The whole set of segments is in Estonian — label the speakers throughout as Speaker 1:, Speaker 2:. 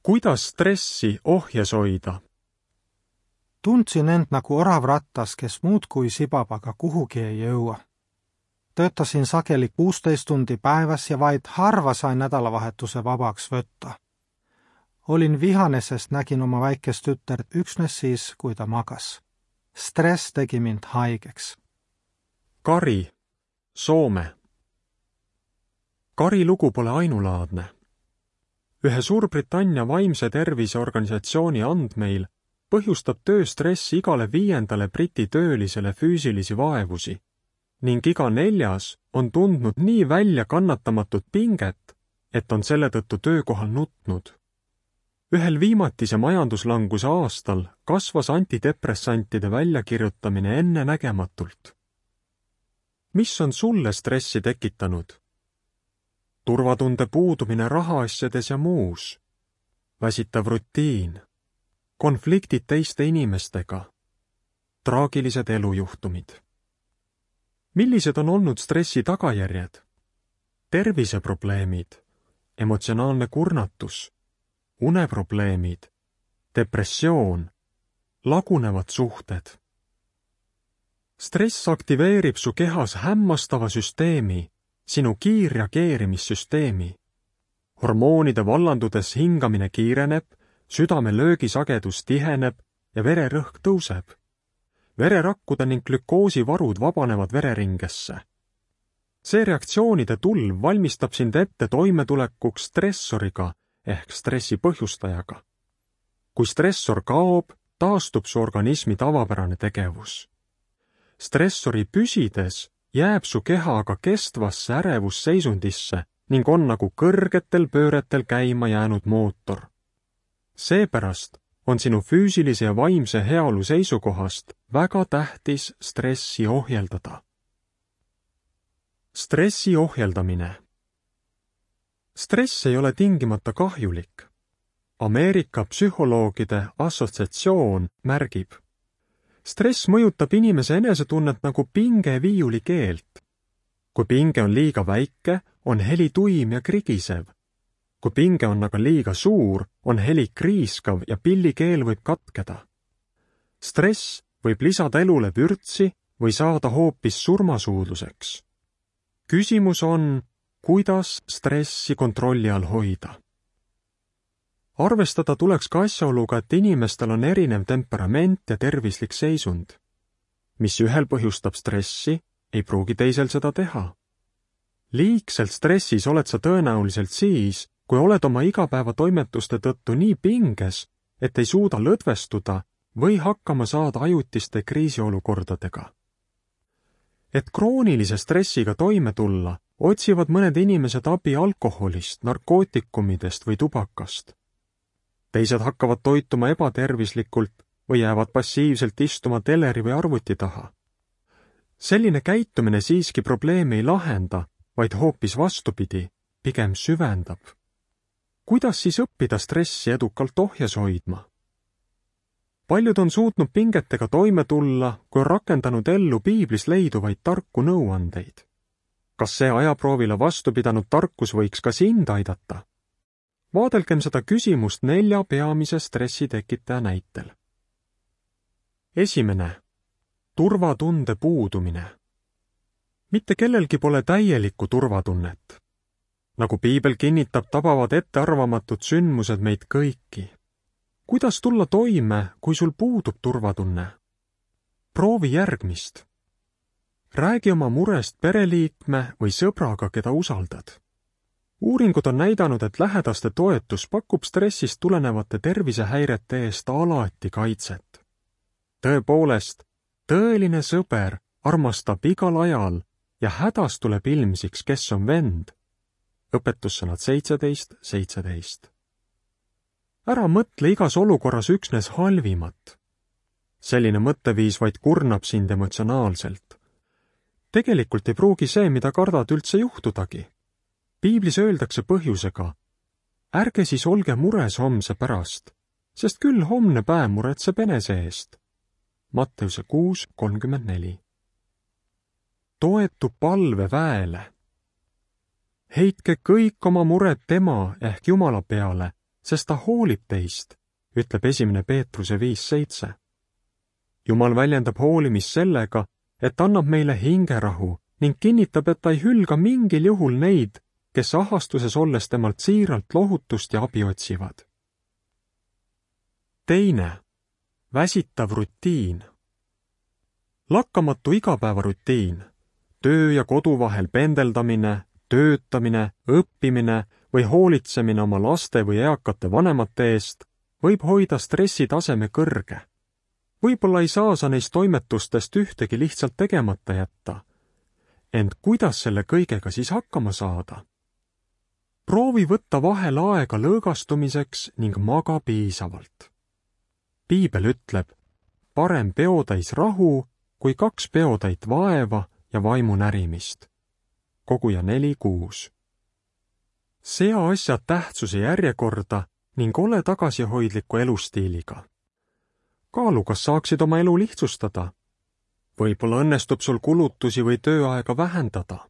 Speaker 1: Kuidas stressi ohjes hoida?
Speaker 2: Tundsin end nagu orav rattas, kes muudkui sibab, aga kuhugi ei jõua. Töötasin sageli 16 tundi päevas ja vaid harva sain nädalavahetuse vabaks võtta. Olin vihane, sest nägin oma väikest tütert üksnes siis, kui ta magas. Stress tegi mind haigeks.
Speaker 1: Kari, Soome. Kari lugu pole ainulaadne. Ühe Suurbritannia vaimse tervise organisatsiooni andmeil põhjustab tööstress igale 5. Briti töölisele füüsilisi vaevusi ning iga 4. on tundnud nii väljakannatamatut pinget, et on selle tõttu töökohal nutnud. Ühel viimatise majanduslanguse aastal kasvas antidepressantide väljakirjutamine ennenägematult. Mis on sulle stressi tekitanud? Turvatunde puudumine rahaasjades ja muus, väsitav rutiin, konfliktid teiste inimestega, traagilised elujuhtumid. Millised on olnud stressi tagajärjed? Terviseprobleemid, emotsionaalne kurnatus, uneprobleemid, depressioon, lagunevad suhted. Stress aktiveerib su kehas hämmastava süsteemi, sinu kiirreageerimissüsteemi. Hormoonide vallandudes hingamine kiireneb, südame löögisagedus tiheneb ja vererõhk tõuseb. Vererakkude ning glükoosivarud vabanevad vereringesse. See reaktsioonide tulv valmistab sind ette toimetulekuks stressoriga ehk stressi põhjustajaga. Kui stressor kaob, taastub su organismi tavapärane tegevus. Stressori püsides jääb su keha aga kestvasse ärevusseisundisse ning on nagu kõrgetel pööretel käima jäänud mootor. Seepärast on sinu füüsilise ja vaimse heaolu seisukohast väga tähtis stressi ohjeldada. Stressi ohjeldamine. Stress ei ole tingimata kahjulik. Ameerika psühholoogide assotsiatsioon märgib: stress mõjutab inimese enesetunnet nagu pinge viiuli keelt. Kui pinge on liiga väike, on heli tuim ja krigisev. Kui pinge on aga liiga suur, on heli kriiskav ja pillikeel võib katkeda. Stress võib lisada elule vürtsi või saada hoopis surmasuudluseks. Küsimus on, kuidas stressi kontrolli all hoida. Arvestada tuleks ka asjaoluga, et inimestel on erinev temperament ja tervislik seisund. Mis ühel põhjustab stressi, ei pruugi teisel seda teha. Liigselt stressis oled sa tõenäoliselt siis, kui oled oma igapäevatoimetuste tõttu nii pinges, et ei suuda lõdvestuda või hakkama saada ajutiste kriisiolukordadega. Et kroonilise stressiga toime tulla, otsivad mõned inimesed abi alkoholist, narkootikumidest või tubakast. Teised hakkavad toituma ebatervislikult või jäävad passiivselt istuma teleri või arvuti taha. Selline käitumine siiski probleemi ei lahenda, vaid hoopis vastupidi, pigem süvendab. Kuidas siis õppida stressi edukalt ohjes hoidma? Paljud on suutnud pingetega toime tulla, kui on rakendanud ellu piiblis leiduvaid tarku nõuandeid. Kas see ajaproovile vastu pidanud tarkus võiks ka sind aidata? Vaadelgem seda küsimust 4 peamise stressitekitaja näitel. Esimene. Turvatunde puudumine. Mitte kellelgi pole täielikku turvatunnet. Nagu piibel kinnitab, tabavad ettearvamatud sündmused meid kõiki. Kuidas tulla toime, kui sul puudub turvatunne? Proovi järgmist. Räägi oma murest pereliikme või sõbraga, keda usaldad. Uuringud on näidanud, et lähedaste toetus pakub stressist tulenevate tervisehäirete eest alati kaitset. Tõepoolest, tõeline sõber armastab igal ajal ja hädas tuleb ilmsiks, kes on vend. Õpetussõnad 17:17. Ära mõtle igas olukorras üksnes halvimat. Selline mõtteviis vaid kurnab sind emotsionaalselt. Tegelikult ei pruugi see, mida kardad, üldse juhtudagi. Piiblis öeldakse põhjusega: ärge siis olge mures homse pärast, sest küll homne päev muretseb enese eest. Matteuse 6:34. Toetu palveväele. Heitke kõik oma mured tema ehk Jumala peale sest ta hoolib teist, ütleb 1. Peetruse 5:7. Jumal väljendab hoolimist sellega, et annab meile hingerahu ning kinnitab, et ta ei hülga mingil juhul neid, kes ahastuses olles temalt siiralt lohutust ja abi otsivad. Teine, väsitav rutiin. Lakkamatu igapäevarutiin, töö ja kodu vahel pendeldamine, töötamine, õppimine või hoolitsemine oma laste või eakate vanemate eest võib hoida stressitaseme kõrge. Võib-olla ei saa sa neist toimetustest ühtegi lihtsalt tegemata jätta. Ent kuidas selle kõigega siis hakkama saada? Proovi võtta vahel aega lõõgastumiseks ning maga piisavalt. Piibel ütleb, parem peotäis rahu kui 2 peotäit vaeva ja vaimu närimist. Koguja 4:6. Sea asjad tähtsuse järjekorda ning ole tagasihoidliku elustiiliga. Kaalu, kas saaksid oma elu lihtsustada. Võib-olla õnnestub sul kulutusi või tööaega vähendada.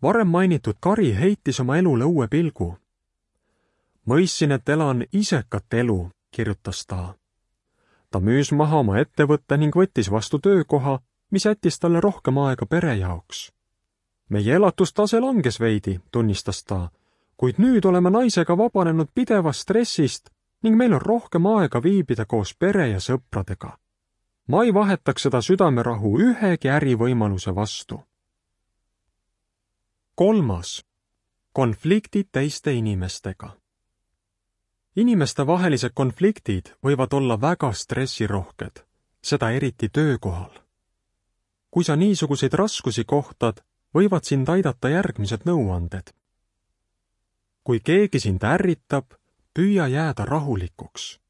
Speaker 1: Varem mainitud Kari heitis oma elule uue pilgu. Mõistsin, et elan isekat elu, kirjutas ta. Ta müüs maha oma ettevõtte ning võttis vastu töökoha, mis jättis talle rohkem aega pere jaoks. Meie elatustase langes veidi, tunnistas ta, kuid nüüd oleme naisega vabanenud pidevast stressist ning meil on rohkem aega viibida koos pere ja sõpradega. Ma ei vahetaks seda südamerahu ühegi ärivõimaluse vastu. 3. Konfliktid teiste inimestega. Inimestevahelised konfliktid võivad olla väga stressirohked, seda eriti töökohal. Kui sa niisuguseid raskusi kohtad, võivad sind aidata järgmised nõuanded. Kui keegi sind ärritab, püüa jääda rahulikuks.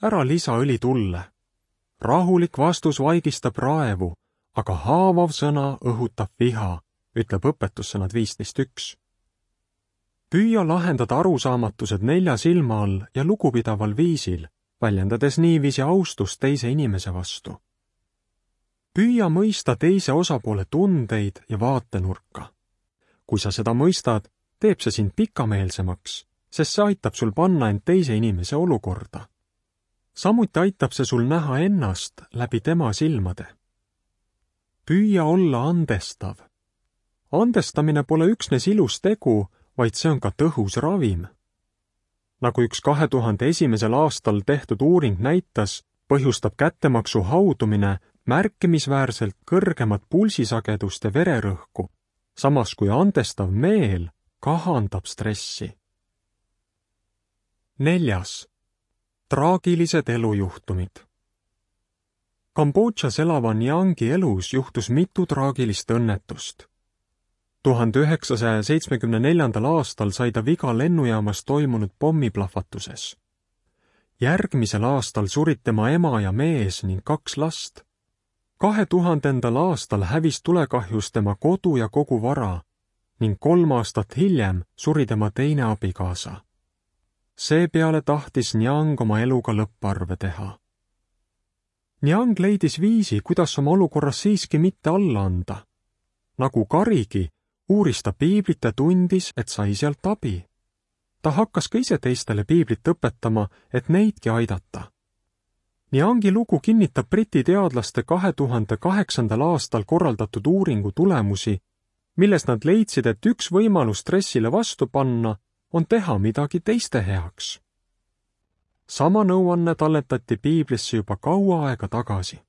Speaker 1: Ära lisa õli tulle. Rahulik vastus vaigistab raevu, aga haavav sõna õhutab viha, ütleb õpetussõnad 15:1. Püüa lahendada arusaamatused 4 silma all ja lugupidaval viisil, väljendades niiviisi austust teise inimese vastu. Püüa mõista teise osapoole tundeid ja vaatenurka. Kui sa seda mõistad, teeb see sind pikameelsemaks, sest see aitab sul panna end teise inimese olukorda. Samuti aitab see sul näha ennast läbi tema silmade. Püüa olla andestav. Andestamine pole üksnes ilus tegu, vaid see on ka tõhus ravim. Nagu üks 2001. aastal tehtud uuring näitas, põhjustab kättemaksu haudumine märkimisväärselt kõrgemat pulsisagedust ja vererõhku, samas kui andestav meel kahandab stressi. 4. Traagilised elujuhtumid. Kambodžas elava Nyangi elus juhtus mitu traagilist õnnetust. 1974. aastal sai ta viga lennujaamas toimunud pommiplahvatuses. Järgmisel aastal surid tema ema ja mees ning 2 last. 2000. aastal hävis tulekahjus tema kodu ja kogu vara ning 3 aastat hiljem suri tema teine abikaasa. Seepeale tahtis Nyang oma eluga lõpparve teha. Nyang leidis viisi, kuidas oma olukorras siiski mitte alla anda. Nagu Karigi, uuris ta piiblit ja tundis, et sai sealt abi. Ta hakkas ka ise teistele piiblit õpetama, et neidki aidata. Nyangi lugu kinnitab Briti teadlaste 2008. aastal korraldatud uuringu tulemusi, milles nad leidsid, et üks võimalus stressile vastu panna on teha midagi teiste heaks. Sama nõuanne talletati piiblisse juba kaua aega tagasi.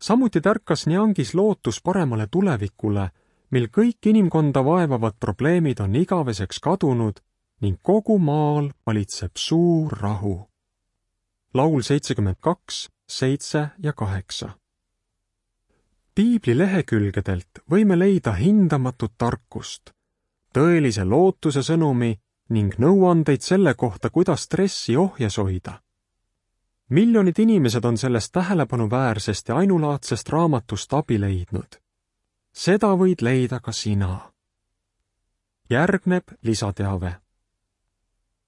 Speaker 1: Samuti tärkas Nyangis lootus paremale tulevikule, mil kõik inimkonda vaevavad probleemid on igaveseks kadunud ning kogu maal valitseb suur rahu. Laul 72, 7 ja 8. Piibli lehekülgedelt võime leida hindamatut tarkust, tõelise lootuse sõnumi ning nõuandeid selle kohta, kuidas stressi ohjes hoida. Miljonid inimesed on sellest tähelepanuväärsest ja ainulaadsest raamatust abi leidnud. Seda võid leida ka sina. Järgneb lisateave.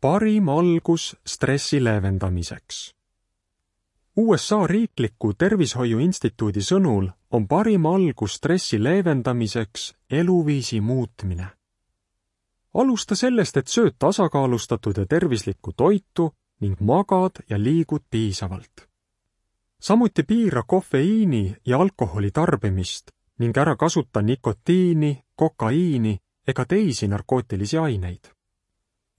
Speaker 1: Parim algus stressi leevendamiseks. USA riikliku tervishoiuinstituudi sõnul on parim algus stressi leevendamiseks eluviisi muutmine. alusta sellest, et sööd tasakaalustatud ja tervislikku toitu ning magad ja liigud piisavalt. Samuti piira kofeiini ja alkoholi tarbimist ning ära kasuta nikotiini, kokaiini ega teisi narkootilisi aineid.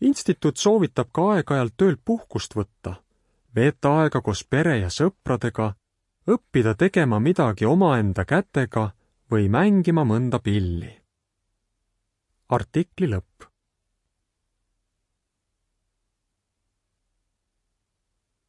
Speaker 1: Instituut soovitab ka aeg-ajalt töölt puhkust võtta, veeta aega koos pere ja sõpradega, õppida tegema midagi omaenda kätega või mängima mõnda pilli. Artikli lõpp.